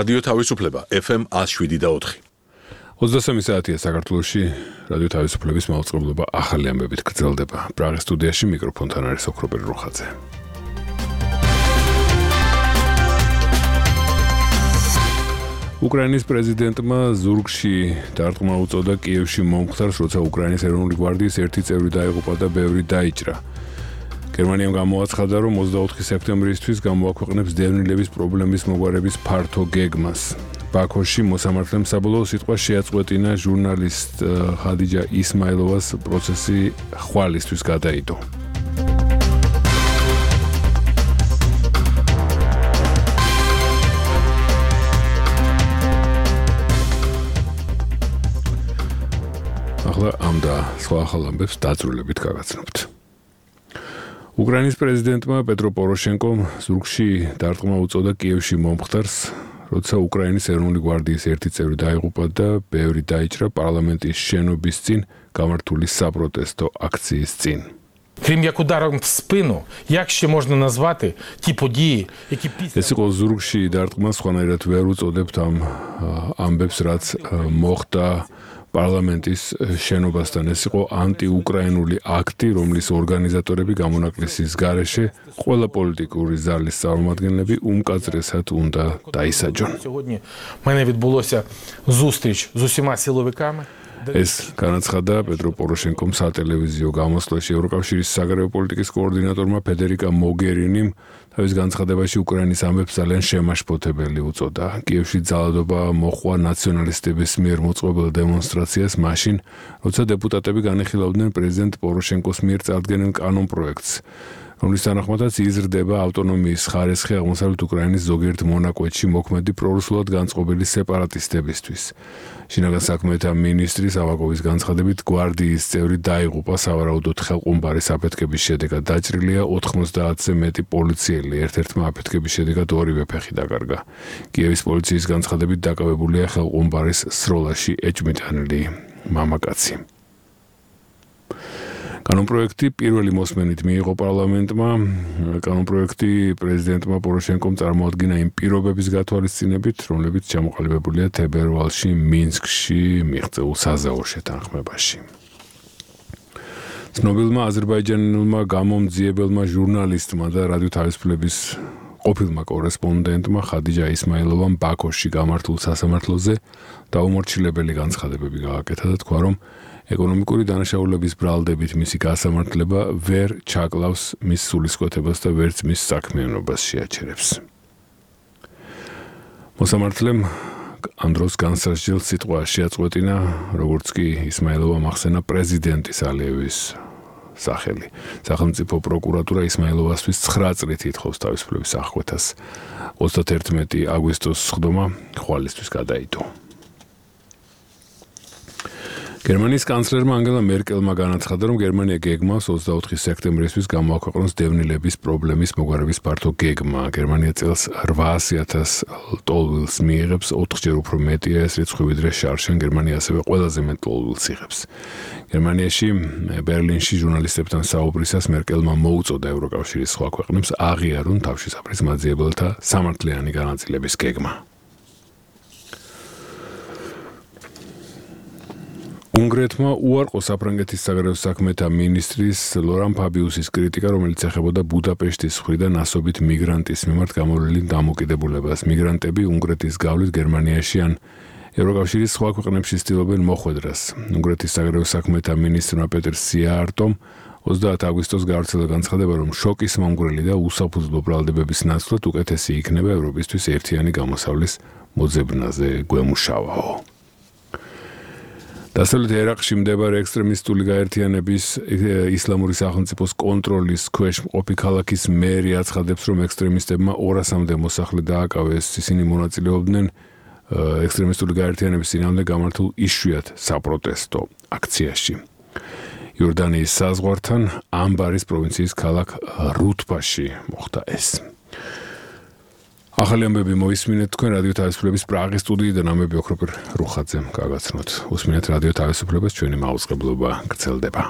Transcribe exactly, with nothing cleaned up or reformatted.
რადიო თავისუფლება ეფ ემ one oh seven და four. ოცდასამი საათია საქართველოში რადიო თავისუფლების მაუწყებლობა ახალი ამბებით გრძელდება. პრაღის სტუდიაში მიკროფონთან არის ოქროპერი როხაძე. უკრაინის პრეზიდენტმა ზურგში დარტყმა უწოდა კიევში მომხდარს, როცა უკრაინის ეროვნული გვარდიის ერთი წევრი დაიღუპა და ბევრი დაიჭრა. გერმანიამ გამოაცხადა, რომ ოცდაოთხი სექტემბრისთვის გამოაქვეყნებს დევნილების პრობლემის მოგვარების ფართო გეგმას. ბაქოში მოსამართლემ საბოლოო სიტყვა შეაწყვეტინა ჟურნალისტ ხადიჯა ისმაილოვას პროცესი ხვალისთვის გადაიდო. ახლა ამ და სხვა ახალ ამბებს დაძრულებით გაგაცნობთ. უკრაინის პრეზიდენტმა პეტრო პოროშენკომ ზურგში დარტყმა უწოდა კიევში მომხდარს, როცა უკრაინის ეროვნული გვარდიის ერთი წევრი დაიღუპა და ბევრი დაიჭრა პარლამენტის შენობის წინ გამართული საპროტესტო აქციის წინ. Крім як ударом в спину, як ще можна назвати ті події, які після... ეს იყო ზურგში დარტყმა, სხვანაირად ვერ უწოდებთ ამ ამბებს, რაც მოხდა პარლამენტის შენობასთან. ეს იყო ანტიუკრაინული აქტი, რომლის ორგანიზატორები გამონაკლისის გარეშე ყველა პოლიტიკური ზალის წარმომადგენლები უმკაცრესად უნდა დაისაჯონ. Сьогодні в мене відбулося зустріч з усіма силовиками. ეს განაცხადა პეტრო პოროშენკომ სატელევიზიო გამოსვლაში. ევროკავშირის საგარეო პოლიტიკის კოორდინატორმა ფედერიკა მოგერინიმ თავის განცხადებაში უკრაინის ამბებს ძალიან შემაშფოთებელი უწოდა. კიევში ძალადობა მოჰყვა ნაციონალისტების მიერ მოწყობილ დემონსტრაციას მაშინ, როცა დეპუტატები განიხილავდნენ პრეზიდენტ პოროშენკოს მიერ წარდგენილ კანონპროექტს, რომლის თანახმადაც იზრდება ავტონომიის ხარისხი აღმოსავლეთ უკრაინის ზოგიერთ მონაკვეთში მოქმედი პრორუსულად განწყობილი სეპარატისტებისთვის. შინაგან საქმეთა მინისტრის ავაკოვის განცხადებით გვარდიის წევრი დაიღუპა, სავარაუდოდ ხელყუმბარის აფეთქების შედეგად დაჭრილია ოთხმოცდაათზე მეტი პოლიციელი, ერთ-ერთმა აფეთქების შედეგად ორივე ფეხი დაკარგა. კიევის პოლიციის განცხადებით დაკავებულია ხელყუმბარის სროლაში ეჭვმიტანილი მამაკაცი. კანონპროექტი პირველი მოსმენით მიიღო პარლამენტმა. კანონპროექტი პრეზიდენტმა პოროშენკომ წარმოადგინა იმ პირობების გათვალისწინებით, რომლებიც ჩამოყალიბებულია თებერვალში მინსკში მიღწეულ საზავო შეთანხმებაში. ცნობილმა აზერბაიჯანელმა გამომძიებელმა ჟურნალისტმა და რადიო თავისუფლების ყოფილმა კორესპონდენტმა ხადიჯა ისმაილოვამ ბაქოში გამართულ სასამართლოზე დაუმორჩილებელი განცხადებები გააკეთა და თქვა, რომ ეკონომიკური დანაშაულების ბრალდებით მისი გასამართლება ვერ ჩაკლავს მის სულისკვეთებას და ვერც მის საქმიანობას შეაჩერებს. მოსამართლემ ამ დროს განსაზღვრელ სიტყვა შეაწყვეტინა, როგორც კი ისმაილოვამ ახსენა პრეზიდენტის ალიევის სახელი. სახელმწიფო პროკურატურა ისმაილოვასთვის ცხრა წლით ითხოვს თავისუფლების აღკვეთას. ოცდაათერთმეტი აგვისტოს სხდომა ხვალისთვის გადაიდო. გერმანიის კანცლერმა ანგელა მერკელმა განაცხადა, რომ გერმანია გეგმავს ოცდაოთხი სექტემბრისთვის გამოაქვეყნოს დევნილების პრობლემის მოგვარების ფართო გეგმა. გერმანია წელს ოცდაათი ათასი ტოლვილს მიიღებს, ოთხჯერ უფრო მეტია ეს რიცხვი ვიდრე შარშან. გერმანია ასევე ყველაზე მეტ ტოლვილს იღებს. გერმანიაში ბერლინში ჟურნალისტებთან საუბრისას მერკელმა მოუწოდა ევროკავშირის სხვა ქვეყნებს აღიარონ თავშესაფრის მაძიებელთა სამართლიანი განაწილების გეგმა. უნგრეთმა უარყო საფრანგეთის საგარეო საქმეთა მინისტრის ლორან ფაბიუსის კრიტიკა, რომელიც ეხებოდა ბუდაპეშტის მხრიდან ასობით მიგრანტის მიმართ გამოვლენილ დამოკიდებულებას. მიგრანტები უნგრეთის გავლით გერმანიაში ან ევროკავშირის სხვა ქვეყნებში ცდილობენ მოხვედრას. უნგრეთის საგარეო საქმეთა მინისტრმა პეტერ სიაარტომ ოცდაათი აგვისტოს გავრცელა განცხადება, რომ შოკის მომგვრელი და უსაფუძვლო ბრალდებების ნაცვლად უკეთესი იქნება ევროპისთვის ერთიანი გამოსავლის მოძებნაზე გვემუშავაო. დასავლეთ ერაყში მდებარე ექსტრემისტული გაერთიანების ისლამური სახელმწიფოს კონტროლის ქვეშ მყოფი ქალაქის მერი აცხადებს, რომ ექსტრემისტებმა ორასამდე მოსახლე დააკავეს. ისინი მონაწილეობდნენ ექსტრემისტული გაერთიანების წინააღმდეგ გამართულ იშვიათ საპროტესტო აქციაში. იორდანიის საზღვართან ამბარის პროვინციის ქალაქ რუთბაში მოხდა ეს. ახალი ამბები მოისმინეთ თქვენ რადიო თავისუფლების პრაღის სტუდიიდან. ამბები ოქროპერ როხაძემ გაგაცნოთ. უსმინეთ რადიო თავისუფლებას, ჩვენი მაუწყებლობა გრძელდება.